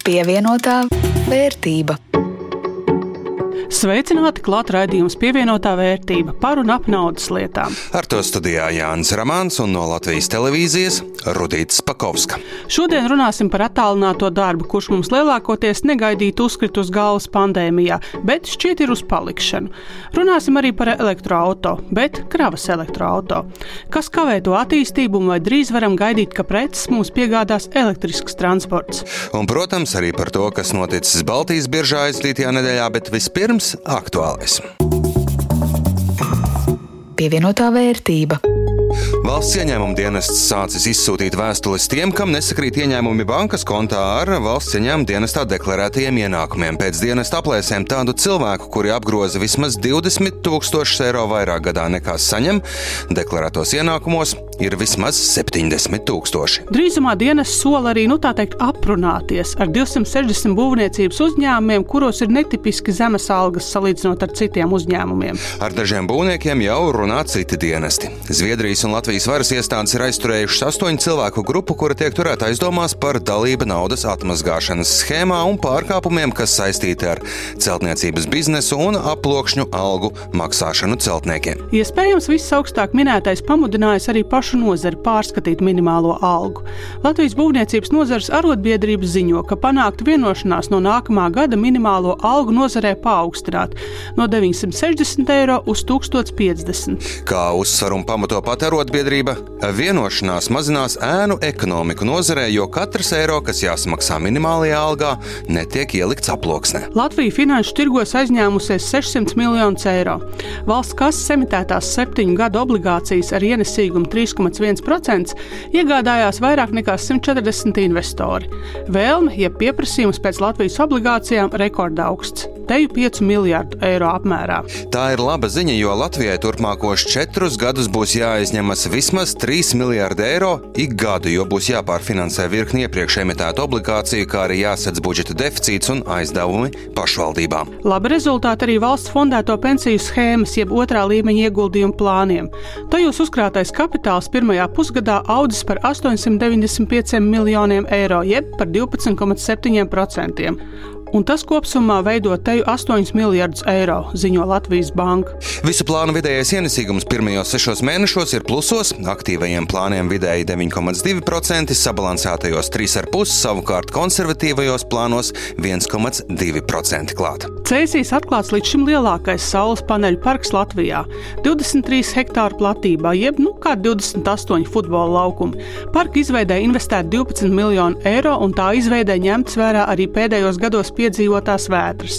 Pievienotā vērtība. Sveicināti, klāt raidījums Pievienotā vērtība par un ap naudas lietām. Ar to studijā Jānis Ramāns un no Latvijas televīzijas Rudīts Pakovska. Šodien runāsim par attālināto darbu, kurš mums lielākoties negaidīt uzkrit uz galvas pandēmijā, bet šķiet ir uz palikšanu. Runāsim arī par elektroauto, bet kravas elektroauto. Kas kavē to attīstību un vai drīz varam gaidīt, ka preces mums piegādās elektrisks transports? Un, protams, arī par to, kas noticis Baltijas biržā aizvadītajā nedēļā, bet vispirms aktuālais. Pievienotā vērtība. Valsts ieņēmuma dienests sācis izsūtīt vēstules tiem, kam nesakrīt ieņēmumi bankas kontā ar valsts ieņēmuma dienestā deklarētajiem ienākumiem. Pēc dienesta aplēsēm tādu cilvēku, kuri apgroza vismaz 20 000 eiro vairāk gadā nekā saņem, deklarētos ienākumos ir vismaz 70 000. Drīzumā dienests sola arī, aprunāties ar 260 būvniecības uzņēmumiem, kuros ir netipiski zemes algas salīdzinot ar citiem uzņēmumiem. Ar dažiem būvniekiem jau runā citi dienesti. Zviedrijas un Latvijas varas iestādes ir aizturējušas 8 cilvēku grupu, kura tiek turēta aizdomās par dalību naudas atmazgāšanas schēmā un pārkāpumiem, kas saistīti ar celtniecības biznesu un aploksņu algu maksāšanu celtniekiem. Iespējams, viss augstāk minētais pamudinājis arī pašu nozari pārskatīt minimālo algu. Latvijas būvniecības nozares arotbiedrības ziņo, ka panākta vienošanās no nākamā gada minimālo algu nozarē paaugstināt no 960 eiro uz 1050. Kā uzsver un pamato pat arotbiedrība, vienošanās mazinās ēnu ekonomiku nozarē, jo katrs eiro, kas jāsamaksā minimālajā algā, netiek ielikts aploksnē. Latvija finanšu tirgos aizņēmusies 600 miljonus eiro. Valsts kases emitētās 7 gadu obligācijas ar ienesīgumu 3,1% iegādājās vairāk nekā 140 investori. Vēlme, jeb pieprasījums pēc Latvijas obligācijām rekordaugsts. Teju 5 miljardu eiro apmērā. Tā ir laba ziņa, jo Latvijai turpmākos 4 gadus būs jāaizņemas vismaz 3 miljardi eiro ik gadu, jo būs jāpārfinansē virkni iepriekš emitētu obligāciju, kā arī jāsadz budžeta deficīts un aizdevumi pašvaldībām. Labi rezultāti arī valsts fondēto pensiju schēmas, jeb otrā līmeņa ieguldījumu plāniem. Tajos uzkrātais kapitāls pirmajā pusgadā audzis par 895 miljoniem eiro, jeb par 12,7%. Un tas kopsumā veido teju 8 miljardus eiro, ziņo Latvijas banka. Visu plānu vidējais ienesīgums pirmajos 6 mēnešos ir plusos, aktīvajiem plāniem vidēji 9,2%, sabalansētajos 3,5%, savukārt konservatīvajos plānos 1,2% klāt. Cēsīs atklāts līdz šim lielākais saules paneļu parks Latvijā - 23 hektāru platībā, jeb kā 28 futbola laukumi. Parka izveidē investēt 12 miljonu eiro, un tā izveidē ņemts vērā arī pēdējos gados piedzīvotās vētras.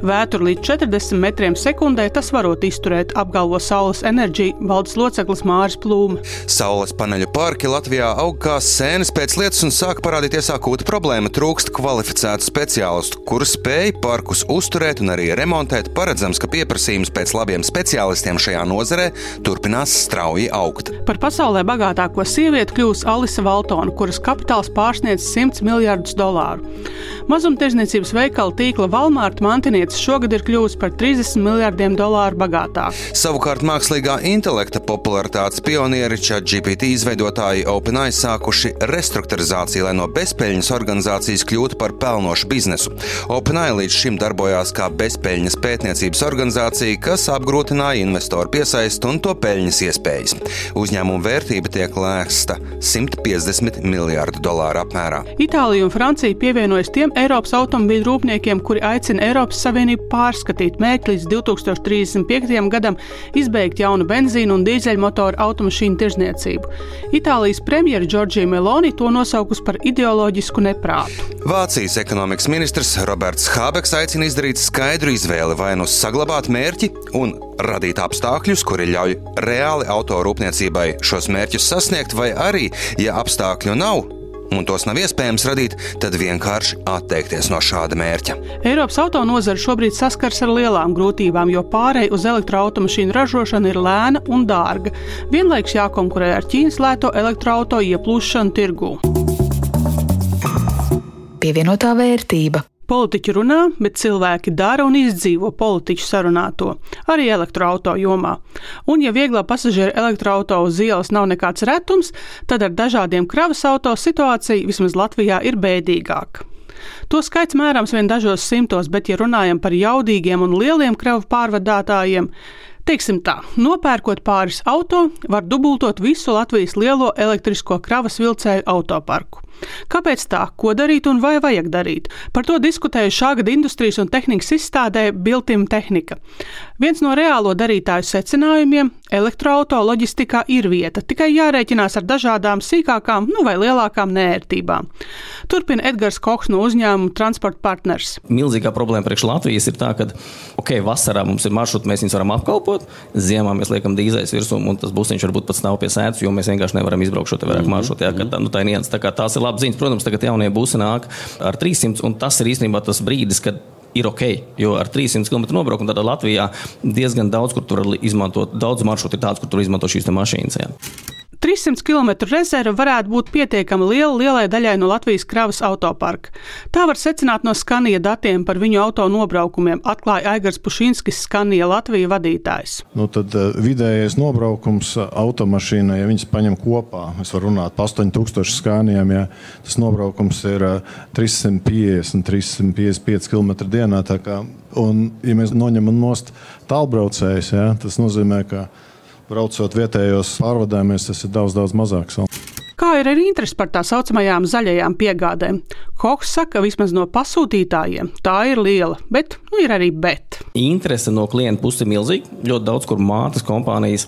Vētru līdz 40 metriem sekundē tas varot izturēt, apgalvo Saules enerģija valdes loceklis Māris Plūme. Saules paneļu parki Latvijā aug kā sēnes pēc lietas un sāk parādīties akūta problēma. Trūkst kvalificētu speciālistu, kuri spēj parkus uzturēt un arī remontēt. Paredzams, ka pieprasījums pēc labiem speciālistiem šajā nozarē turpinās strauji augt. Par pasaulē bagātāko sievieti kļūs Alisa Valtona, kuras kapitāls pārsniedz $100 miljardus. Mazumtirdzniecības veikala tīkla Walmart mantinieces šogad ir kļuvusi par $30 miljardiem bagātāk. Savukārt mākslīgā intelekta popularitātes pionieri ChatGPT izveidotāji OpenAI sākuši restruktūrizāciju, lai no bezpeļņas organizācijas kļūtu par pelnošu biznesu. OpenAI līdz šim darbojās kā bezpeļņas pētniecības organizācija, kas apgrūtināja investoru piesaisti un to peļņas iespējas. Uzņēmuma vērtība tiek lēsta $150 miljardu apmērā. Itālija un Francija pievienojas tiem Eiropas automobīļu rūpniekiem, kuri aicina Eiropas Savienību pārskatīt mērķi līdz 2035. gadam izbeigt jaunu benzīnu un dīzeļmotoru automašīnu tirdzniecību. Itālijas premjera Giorgia Meloni to nosaukusi par ideoloģisku neprātu. Vācijas ekonomikas ministrs Roberts Hābeks aicina izdarīt skaidru izvēli, vai nu saglabāt mērķi un radīt apstākļus, kuri ļauj reāli autorūpniecībai šos mērķus sasniegt, vai arī, ja apstākļu nav, un tos nav iespējams radīt, tad vienkārši atteikties no šāda mērķa. Eiropas autonozara šobrīd saskars ar lielām grūtībām, jo pārēj uz elektroautomašīnu ražošanu ir lēna un dārga. Vienlaikus jākonkurē ar Ķīnas lēto elektroauto ieplūšanu tirgū. Pievienotā vērtība. Politiķi runā, bet cilvēki dara un izdzīvo politiķu sarunāto, arī elektroauto jomā. Un ja vieglā pasažieru elektroauto uz ielas nav nekāds retums, tad ar dažādiem kravas auto situācija vismaz Latvijā ir bēdīgāka. To skaits mērams vien dažos simtos, bet, ja runājam par jaudīgiem un lieliem kravu pārvadātājiem, teiksim tā, nopērkot pāris auto, var dubultot visu Latvijas lielo elektrisko kravas vilcēju autoparku. Kāpēc tā? Ko darīt un vai vajag darīt? Par to diskutēju šā gada industrijas un tehnikas izstādē Biltim Tehnika. Viens no reālo darītāju secinājumiem – elektroauto loģistikā ir vieta, tikai jārēķinās ar dažādām sīkākām, vai lielākām neērtībām. Turpina Edgars Kochs no uzņēmuma Transport Partners. Milzīgā problēma priekš Latvijas ir tā, ka vasarā mums ir maršruti, mēs viņus varam apkalpot, ziemā mēs liekam dīzais virsū, un tas busiņš varbūt pat stāv pie sēdus, jo mēs vienkārši nevaram izbraukt šo te vairāk maršrutu. Tā ir nians, tā kā tās ir labas ziņas. Protams, tagad jaunie busi nāk ar 300, un tas ir īstenībā tas brīdis, kad ir ok, jo ar 300 km nobraukumu tādā Latvijā diezgan daudz, kur tur izmantot, daudz maršrutu ir tāds, kur tur izmanto šīs te mašīnas. Jā. 300 km rezerve varētu būt pietiekami lielai daļai no Latvijas kravas autoparka. Tā var secināt no Scania datiem par viņu auto nobraukumiem, atklāja Aigars Pušinskis, Scania Latvija vadītājs. Tad vidējais nobraukums automašīnai, ja viņas paņem kopā, es varu runāt pa 8000 Scaniām, ja tas nobraukums ir 350-355 km dienā. Un, ja mēs noņemam nost tālbraucējus, ja, tas nozīmē, ka braucot vietējos pārvadājumies, tas ir daudz mazāks. Kā ir arī interesi par tā saucamajām zaļajām piegādēm? Kochs saka, vismaz no pasūtītājiem tā ir liela, bet ir arī bet. Interese no klienta puses ir milzīga. Ļoti daudz, kur mātes kompānijas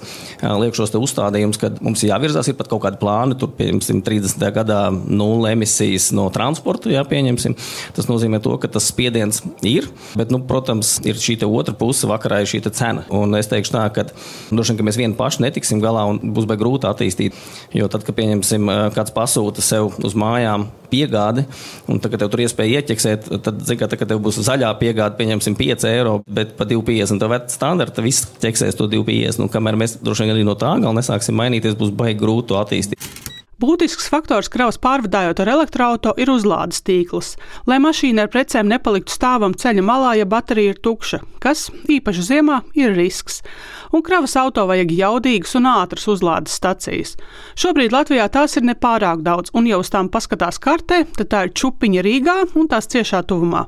liek šos te uzstādījumus, kad mums jāvirzās, ir pat kaut kādi plāni, tur pieņemsim 30. gadā 0 emisijas no transporta, pieņemsim. Tas nozīmē to, ka tas spiediens ir, bet, protams, ir šī te otra puse, vakarā ir šī te cena. Un es teikšu tā, ka droši vien, ka mēs vieni paši netiksim galā un būs baigi grūti attīstīt, jo tad, kad pieņemsim kāds pasūta sev uz mājām piegādi, un tad, kad tev tur iespēja ieķeksēt, tad, kad tev būs zaļā piegāde, pieņemsim 5 eiro, bet pa 2,50, tev standarta viss ķeksēs to 2,50, kamēr mēs droši vien arī no tā gala nesāksim mainīties, būs baigi grūti to attīstīt. Būtisks faktors kravas pārvadājot ar elektroauto ir uzlādes tīkls, lai mašīna ar precēm nepaliktu stāvam ceļa malā, ja baterija ir tukša, kas, īpaši ziemā, ir risks. Un kravas auto vajag jaudīgas un ātras uzlādes stacijas. Šobrīd Latvijā tās ir nepārāk daudz, un ja uz tām paskatās kartē, tad tā ir Čupiņa Rīgā un tās ciešā tuvumā.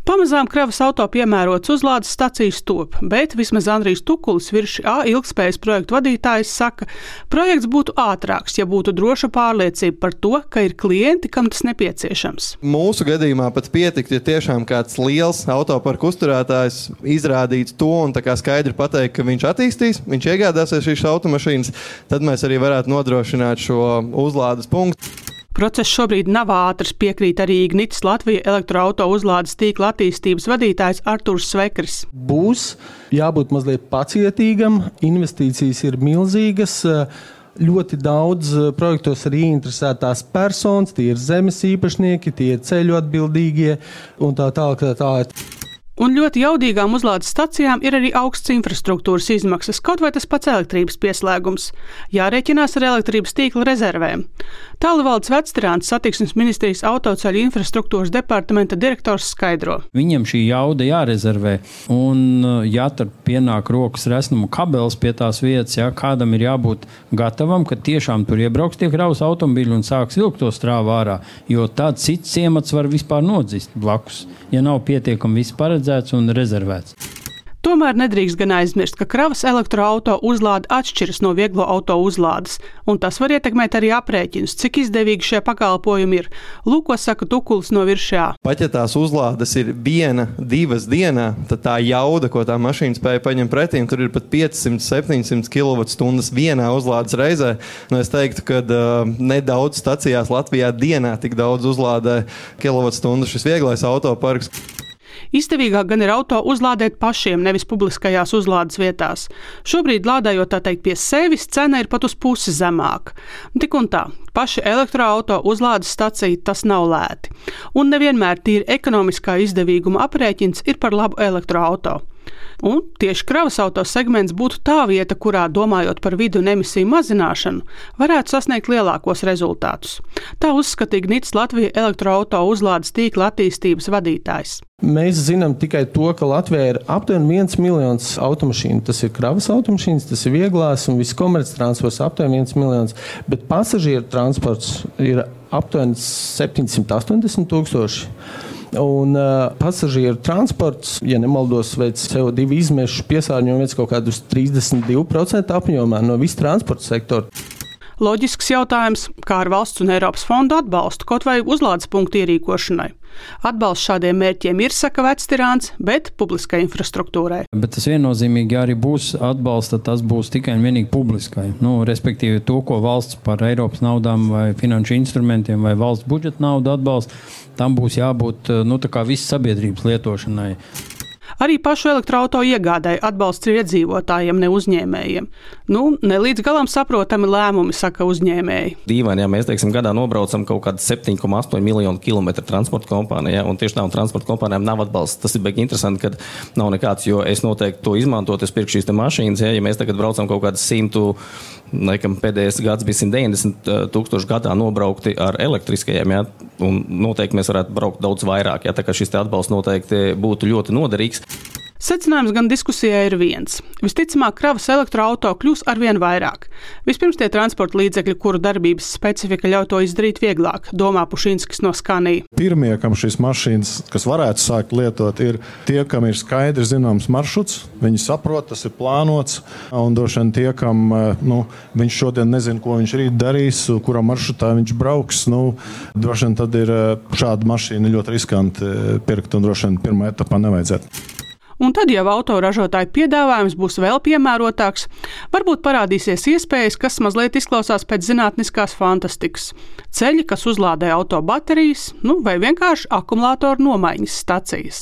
Pamazām kravas auto piemērots uzlādes stacijas top, bet vismaz Andrijs Tukulis, Virši A ilgspējas projektu vadītājs, saka, projekts būtu ātrāks, ja būtu droša pārliecība par to, ka ir klienti, kam tas nepieciešams. Mūsu gadījumā pat pietikt, ja tiešām kāds liels autoparku uzturētājs izrādītu to un tā kā skaidri pateikt, ka viņš attīstīs, viņš iegādāsies šīs automašīnas, tad mēs arī varētu nodrošināt šo uzlādes punktu. Process šobrīd nav ātrs, piekrīt arī Ignitis Latvija elektroauto uzlādes tīkla attīstības vadītājs Artūrs Svekris. Būs jābūt mazliet pacietīgam, investīcijas ir milzīgas, ļoti daudz projektos arī interesētās personas, tie ir zemes īpašnieki, tie ir ceļu atbildīgie un tā tālāk. Un ļoti jaudīgām uzlādes stacijām ir arī augsts infrastruktūras izmaksas, kaut vai tas pats elektrības pieslēgums. Jārēķinās ar elektrības tīkla rezervēm. Tālvaldes Vectirāns Satiksmes ministrijas autoceļu infrastruktūras departamenta direktors skaidro. Viņiem šī jauda jārezervē, un ja tur pienāk rokas resnuma kabelis pie tās vietas, kādam ir jābūt gatavam, ka tiešām tur iebrauks tie kravas automobīļi un sāks vilkt to strāvu ārā, jo tad cits ciemats var vispār nodzist blakus, ja nav pietiekami viss paredzēts un rezervēts. Tomēr nedrīkst gan aizmirst, ka kravas elektroauto uzlāde atšķiras no vieglo auto uzlādes, un tas var ietekmēt arī aprēķinus, cik izdevīgi šie pakalpojumi ir. Lūk, ko saka Tukulis no Viršā. Pat ja tās uzlādes ir 1-2 dienā, tad tā jauda, ko tā mašīna spēja paņemt pretīm, tur ir pat 500-700 kWh vienā uzlādes reizē. Es teiktu, ka nedaudz stacijās Latvijā dienā tik daudz uzlādē kilovatstundu šis vieglais autoparks. Izdevīgāk gan ir auto uzlādēt pašiem, nevis publiskajās uzlādes vietās. Šobrīd lādējot tā teikt pie sevis, cena ir pat uz pusi zemāka. Tik un tā, paši elektroauto uzlādes stacija tas nav lēti. Un nevienmēr tīri ekonomiskā izdevīguma aprēķins ir par labu elektroauto. Un tieši kravas auto segments būtu tā vieta, kurā, domājot par vidi un emisiju mazināšanu, varētu sasniegt lielākos rezultātus. Tā uzskatīja Gnits Latvija elektroauto uzlādes tīkla attīstības vadītājs. Mēs zinām tikai to, ka Latvijā ir aptuveni 1 miljons automašīnu. Tas ir kravas automašīnas, tas ir vieglās un viss komerctransports aptuveni 1 miljons, bet pasažieru transports ir aptuveni 780 tūkstoši. Un pasažieru transports, ja nemaldos, veic CO2 izmešu piesārņojumu veic kaut kādus 32% apjomā no visa transporta sektora. Loģisks jautājums, kā ar valsts un Eiropas fondu atbalstu, kaut vai uzlādes punktu ierīkošanai. Atbalsts šādiem mērķiem ir, saka Vectirāns, bet publiskai infrastruktūrai. Bet tas viennozīmīgi arī būs atbalsts, tad tas būs tikai un vienīgi publiskai. Respektīvi to, ko valsts par Eiropas naudām vai finanšu instrumentiem vai valsts budžeta naudu atbalsta, tam būs jābūt tā kā visas sabiedrības lietošanai. Arī pašu elektroauto iegādai atbalsts ir iedzīvotājiem, ne uzņēmējiem. Ne līdz galam saprotami lēmumi, saka uzņēmēji. Dīvaini, ja mēs, gadā nobraucam kaut kādu 7,8 miljonu kilometru transporta kompānijā, un tieši tām transporta kompānijām nav atbalsts. Tas ir baigi interesanti, ka nav nekāds, jo es noteikti to izmantotu, es pirkšu šīs mašīnas, ja mēs tagad braucam kaut kādas 100, laikam pēdējais gads bija 190 tūkstoši gadā nobraukti ar elektriskajiem, ja, un noteikti mēs varētu braukt daudz vairāk, ja, tā kā šis atbalsts noteikti būtu ļoti noderīgs. Secinājums gan diskusijai ir viens. Visticamāk, kravas elektroauto kļūs arvien vairāk. Vispirms tie transporta līdzekļi, kuru darbības specifika ļauj to izdarīt vieglāk, domā Pušinskis no Skanija. Pirmie, kam šīs mašīnas, kas varētu sākt lietot, ir tie, kam ir skaidri zināms maršruts. Viņi saprot, tas ir plānots, un droši vien tie, kam viņš šodien nezina, ko viņš rīt darīs, kurā maršrutā viņš brauks. Droši vien tad ir šāda mašīna ļoti riskanti pirkt, un droši vien pirmā etapā nevajadzētu. Un tad jau autoražotāju piedāvājums būs vēl piemērotāks, varbūt parādīsies iespējas, kas mazliet izklausās pēc zinātniskās fantastikas. Ceļi, kas uzlādē auto baterijas, vai vienkārši akumulātoru nomaiņas stacijas.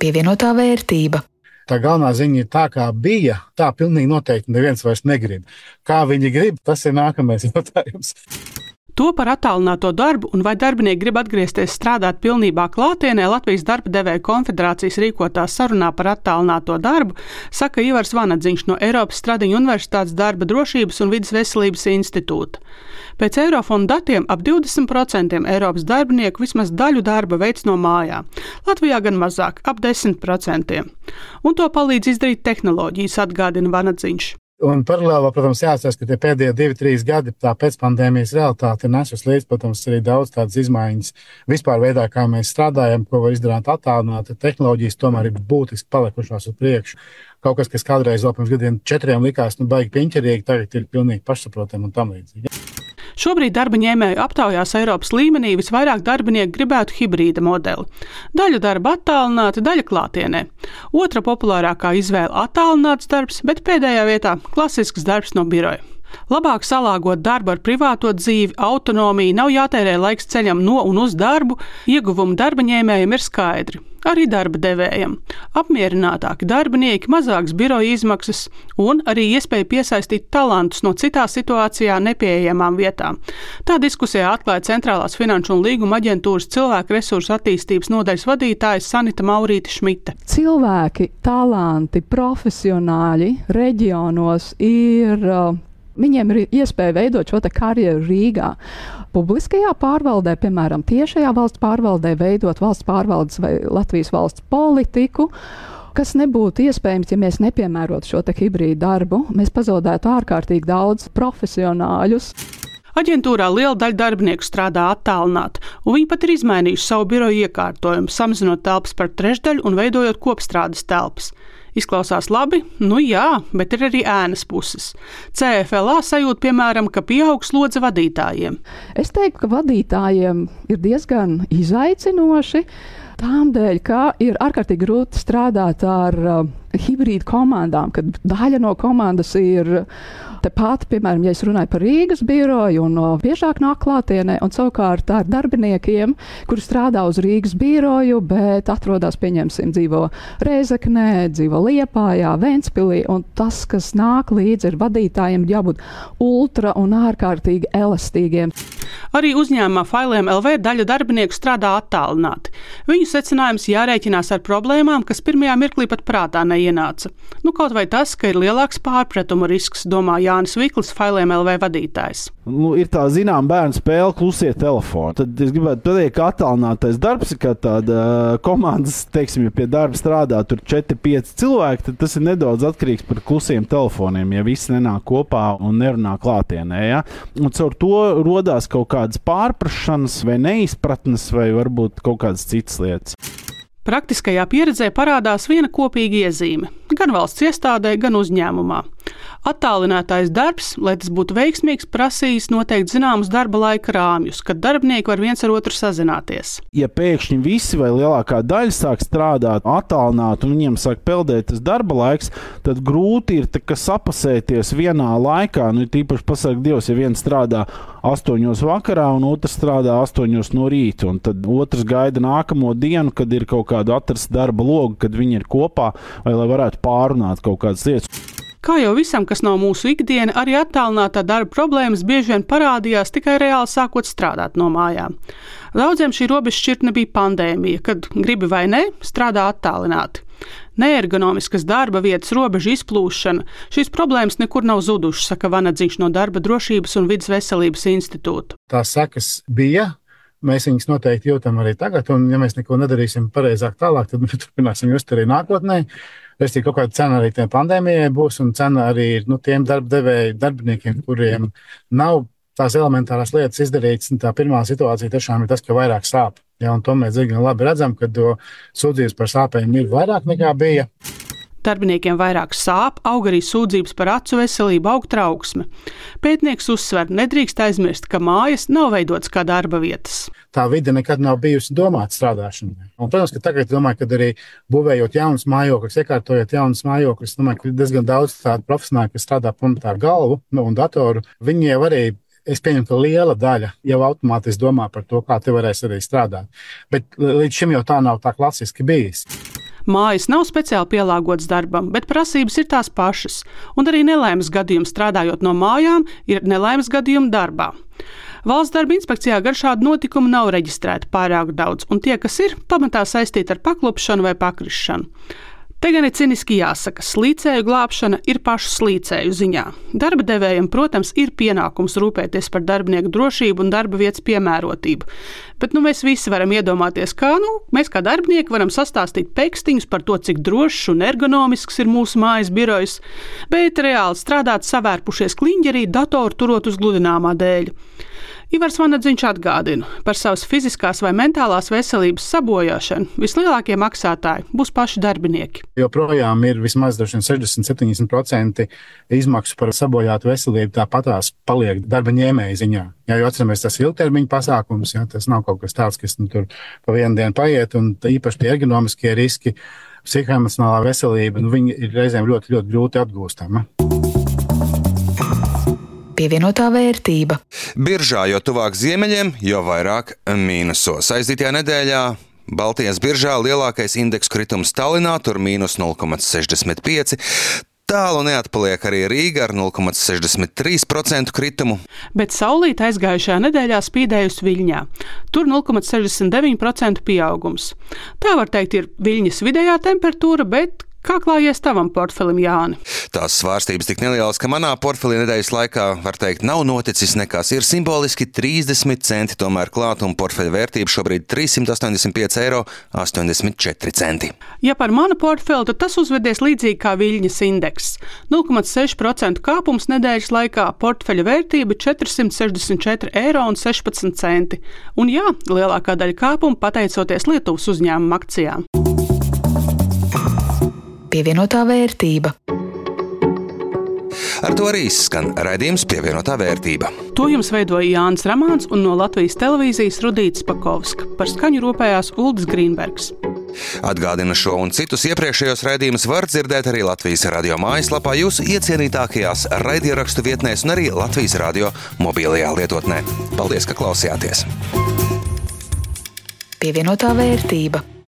Pievienotā vērtība. Tā galvenā ziņa ir tā, kā bija, tā pilnīgi noteikti neviens vairs negrib. Kā viņi grib, tas ir nākamais jautājums. To par attālināto darbu un vai darbinieki grib atgriezties strādāt pilnībā klātienē Latvijas darba devēju konfederācijas rīkotā sarunā par attālināto darbu, saka Ivars Vanadziņš no Eiropas Stradiņu Universitātes darba drošības un vides veselības institūta. Pēc Eirofonda datiem ap 20% Eiropas darbinieku vismaz daļu darba veic no mājām. Latvijā gan mazāk, ap 10%. Un to palīdz izdarīt tehnoloģijas, atgādina Vanadziņš. Un paralēli, protams, jāatcerās, ka tie pēdējie 2-3 gadi tā pēcpandēmijas realitāte ir nesus līdz, protams, arī daudz tādas izmaiņas vispār veidā, kā mēs strādājam, ko var izdarīt attālināti. Tehnoloģijas tomēr ir būtiski palikušās uz priekšu. Kaut kas, kas kādreiz vēl pirms gadiem 4 likās, baigi piņķerīgi, tagad ir pilnīgi pašsaprotami un tam līdzīgi. Šobrīd darba ņēmēju aptaujās Eiropas līmenī visvairāk darbinieku gribētu hibrīda modeli. Daļa darba attālināta, daļa klātienē. Otra populārākā izvēle attālināts darbs, bet pēdējā vietā klasisks darbs no biroja. Labāk salāgot darbu ar privāto dzīvi, autonomiju, nav jātērē laiks ceļam no un uz darbu, ieguvumi darba ņēmējiem ir skaidri. Arī darba devējiem. Apmierinātāki darbinieki, mazāks biroja izmaksas un arī iespēja piesaistīt talantus no citā situācijā nepieejamām vietām. Tā diskusijā atklāja Centrālās finanšu un līguma aģentūras cilvēku resursu attīstības nodaļas vadītāja Sanita Maurīte Šmite. Cilvēki, talanti, profesionāļi reģionos ir... Viņiem ir iespēja veidot šo karjeru Rīgā. Publiskajā pārvaldē, piemēram, tiešajā valsts pārvaldē, veidot valsts pārvaldes vai Latvijas valsts politiku, kas nebūtu iespējams, ja mēs nepiemērotu šo hibrīdu darbu. Mēs pazaudētu ārkārtīgi daudz profesionāļus. Aģentūrā liela daļa darbinieku strādā attālināti, un viņi pat ir izmainījuši savu biroju iekārtojumu, samazinot telpas par trešdaļu un veidojot kopstrādes telpas. Izklausās labi? Jā, bet ir arī ēnas puses. CFLA sajūt, piemēram, ka pieaug slodze vadītājiem. Es teiktu, ka vadītājiem ir diezgan izaicinoši, tām dēļ, ka ir ārkārtīgi grūti strādāt ar hibrīdu komandām, kad daļa no komandas ir tepat, piemēram, ja es runāju par Rīgas biroju un biežāk nāk klātienē, un savukārt ar darbiniekiem, kuri strādā uz Rīgas biroju, bet atrodas, pieņemsim, dzīvo Rēzeknē, dzīvo Liepājā, Ventspilī, un tas, kas nāk līdzi ir vadītājiem, jābūt ultra un ārkārtīgi elastīgiem. Arī uzņēmumā Failiem LV daļa darbinieku strādā attālināti. Viņu secinājums jārēķinās ar problēmām, kas pirmajā mirklī pat prātā neienāca. Kaut vai tas, ka ir lielāks pārpratumu risks, domā Jānis Viklis, Failiem LV vadītājs. Ir tā bērnu spēle klusie telefoni. Tad es gribētu pateikt, ka attālinātais darbs ir kā tāda komandas, teiksim, ja pie darba strādā tur 4-5 cilvēki, tad tas ir nedaudz atkarīgs par klusiem telefoniem, ja visi nenāk kopā un nerunā klātienē. Ja? Un caur to rodās kaut kādas pārprašanas vai neizpratnes vai varbūt kaut kādas citas lietas. Praktiskajā pieredzē parādās viena kopīga iezīme – gan valsts iestādē, gan uzņēmumā. Attālinātais darbs, lai tas būtu veiksmīgs, prasīs noteikti zināmus darba laika rāmjus, kad darbinieki var viens ar otru sazināties. Ja pēkšņi visi vai lielākā daļa sāk strādāt attālināti un viņiem sāk peldēt tas darba laiks, tad grūti ir sapasēties vienā laikā. Tīpaši pasaka Dievs, ja viens strādā 8 vakarā un otrs strādā 8 no rīta, un tad otrs gaida nākamo dienu, kad ir kaut kāda atrasta darba loga, kad viņi ir kopā, vai lai varētu pārunāt kaut kādas lietas. Kā jau visam, kas nav mūsu ikdiena, arī attālinātā darba problēmas bieži vien parādījās tikai reāli sākot strādāt no mājām. Daudziem šī robežšķirtne bija pandēmija, kad gribi vai ne, strādā attālināti. Neergonomiskas darba vietas robežu izplūšana, šīs problēmas nekur nav zudušas, saka Vanadziņš no Darba drošības un vides veselības institūta. Tās sekas bija. Mēs viņus noteikti jūtam arī tagad, un ja mēs neko nedarīsim pareizāk tālāk, tad mēs turpināsim just arī nākotnē. Kaut kāda cena arī tajā pandēmijai būs, un cena arī ir tiem darbiniekiem, kuriem nav tās elementārās lietas izdarītas. Tā pirmā situācija tiešām ir tas, ka vairāk sāp. Ja, un to mēs diezgan labi redzam, ka sūdzības par sāpēm ir vairāk nekā bija. Darbiniekiem vairāk sāp, aug arī sūdzības par acu veselību, aug trauksme. Pētnieks uzsver, nedrīkst aizmirst, ka mājas nav veidotas kā darba vietas. Tā vide nekad nav bijusi domāta strādāšanai. Un, protams, ka tagad domāju, ka arī būvējot jaunas mājokļus, iekārtojot jaunas mājokļus, domāju, ka ir diezgan daudz tādu profesionāļu, kas strādā pamatā ar galvu un datoru. Viņi jau arī, es pieņemu, ka liela daļa jau automātiski domā par to, kā te varēs arī strādāt. Bet līdz šim jau tā nav tā klasiski bijis. Mājas nav speciāli pielāgotas darbam, bet prasības ir tās pašas, un arī nelaimes gadījumi strādājot no mājām ir nelaimes gadījumi darbā. Valsts darba inspekcijā gan šādu notikumu nav reģistrēti pārāk daudz, un tie, kas ir, pamatā saistīti ar paklupšanu vai pakrišanu. Te gan ir ciniski jāsaka, slīcēju glābšana ir pašu slīcēju ziņā. Darba devējiem, protams, ir pienākums rūpēties par darbinieku drošību un darba vietas piemērotību. Bet mēs visi varam iedomāties, kā mēs kā darbinieki varam sastāstīt pekstiņus par to, cik drošs un ergonomisks ir mūsu mājas birojs, bet reāli strādāt savērpušies kliņģerī datoru turot uz gludināmā dēļ. Ivars Vanadziņš atgādina, par savas fiziskās vai mentālās veselības sabojāšanu vislielākie maksātāji būs paši darbinieki. Joprojām ir vismaz 60-70% izmaksu par sabojātu veselību, tāpatās paliek darba ņēmēja ziņā. Ja, jo atceramies, tas ir ilgtermiņa pasākums, ja, tas nav kaut kas tāds, kas tur pa vienu dienu paiet, un īpaši tie ergonomiskie riski, psihoemocionālā veselība, viņi ir reizēm ļoti, ļoti grūti atgūstama. Pievienotā vērtība. Biržā jo tuvāk ziemeļiem, jo vairāk mīnusos. Aizdītajā nedēļā Baltijas biržā lielākais indeksu kritums Tallinā, tur mīnus 0,65. Tālu neatpaliek arī Rīga ar 0,63% kritumu. Bet saulīte aizgājušajā nedēļā spīdējusi Viļņā. Tur 0,69% pieaugums. Tā var teikt ir Viļņas vidējā temperatūra, bet kā klājies tavam portfelim, Jāni? Tās svārstības tik nelielas, ka manā portfelī nedēļas laikā, var teikt, nav noticis nekas. Ir simboliski 30 centi tomēr klāt, un portfeļa vērtība šobrīd 385,84 eiro. Ja par manu portfeli, tad tas uzvedies līdzīgi kā Viļņas indeks. 0,6% kāpums nedēļas laikā, portfeļa vērtība 464,16 eiro. Un jā, lielākā daļa kāpuma pateicoties Lietuvas uzņēmuma akcijām. Pievienotā vērtība. Ar to arī skan raidījums Pievienotā vērtība. To jums veidoja Jānis Ramāns un no Latvijas televīzijas Rudīts Pakovska. Par skaņu rūpējās Uldis Grīnbergs. Atgādina šo un citus iepriekšējos raidījumus var dzirdēt arī Latvijas radio mājaslapā, jūsu iecienītākajās raidierakstu vietnēs un arī Latvijas radio mobilajā lietotnē. Paldies, ka klausījāties! Pievienotā vērtība.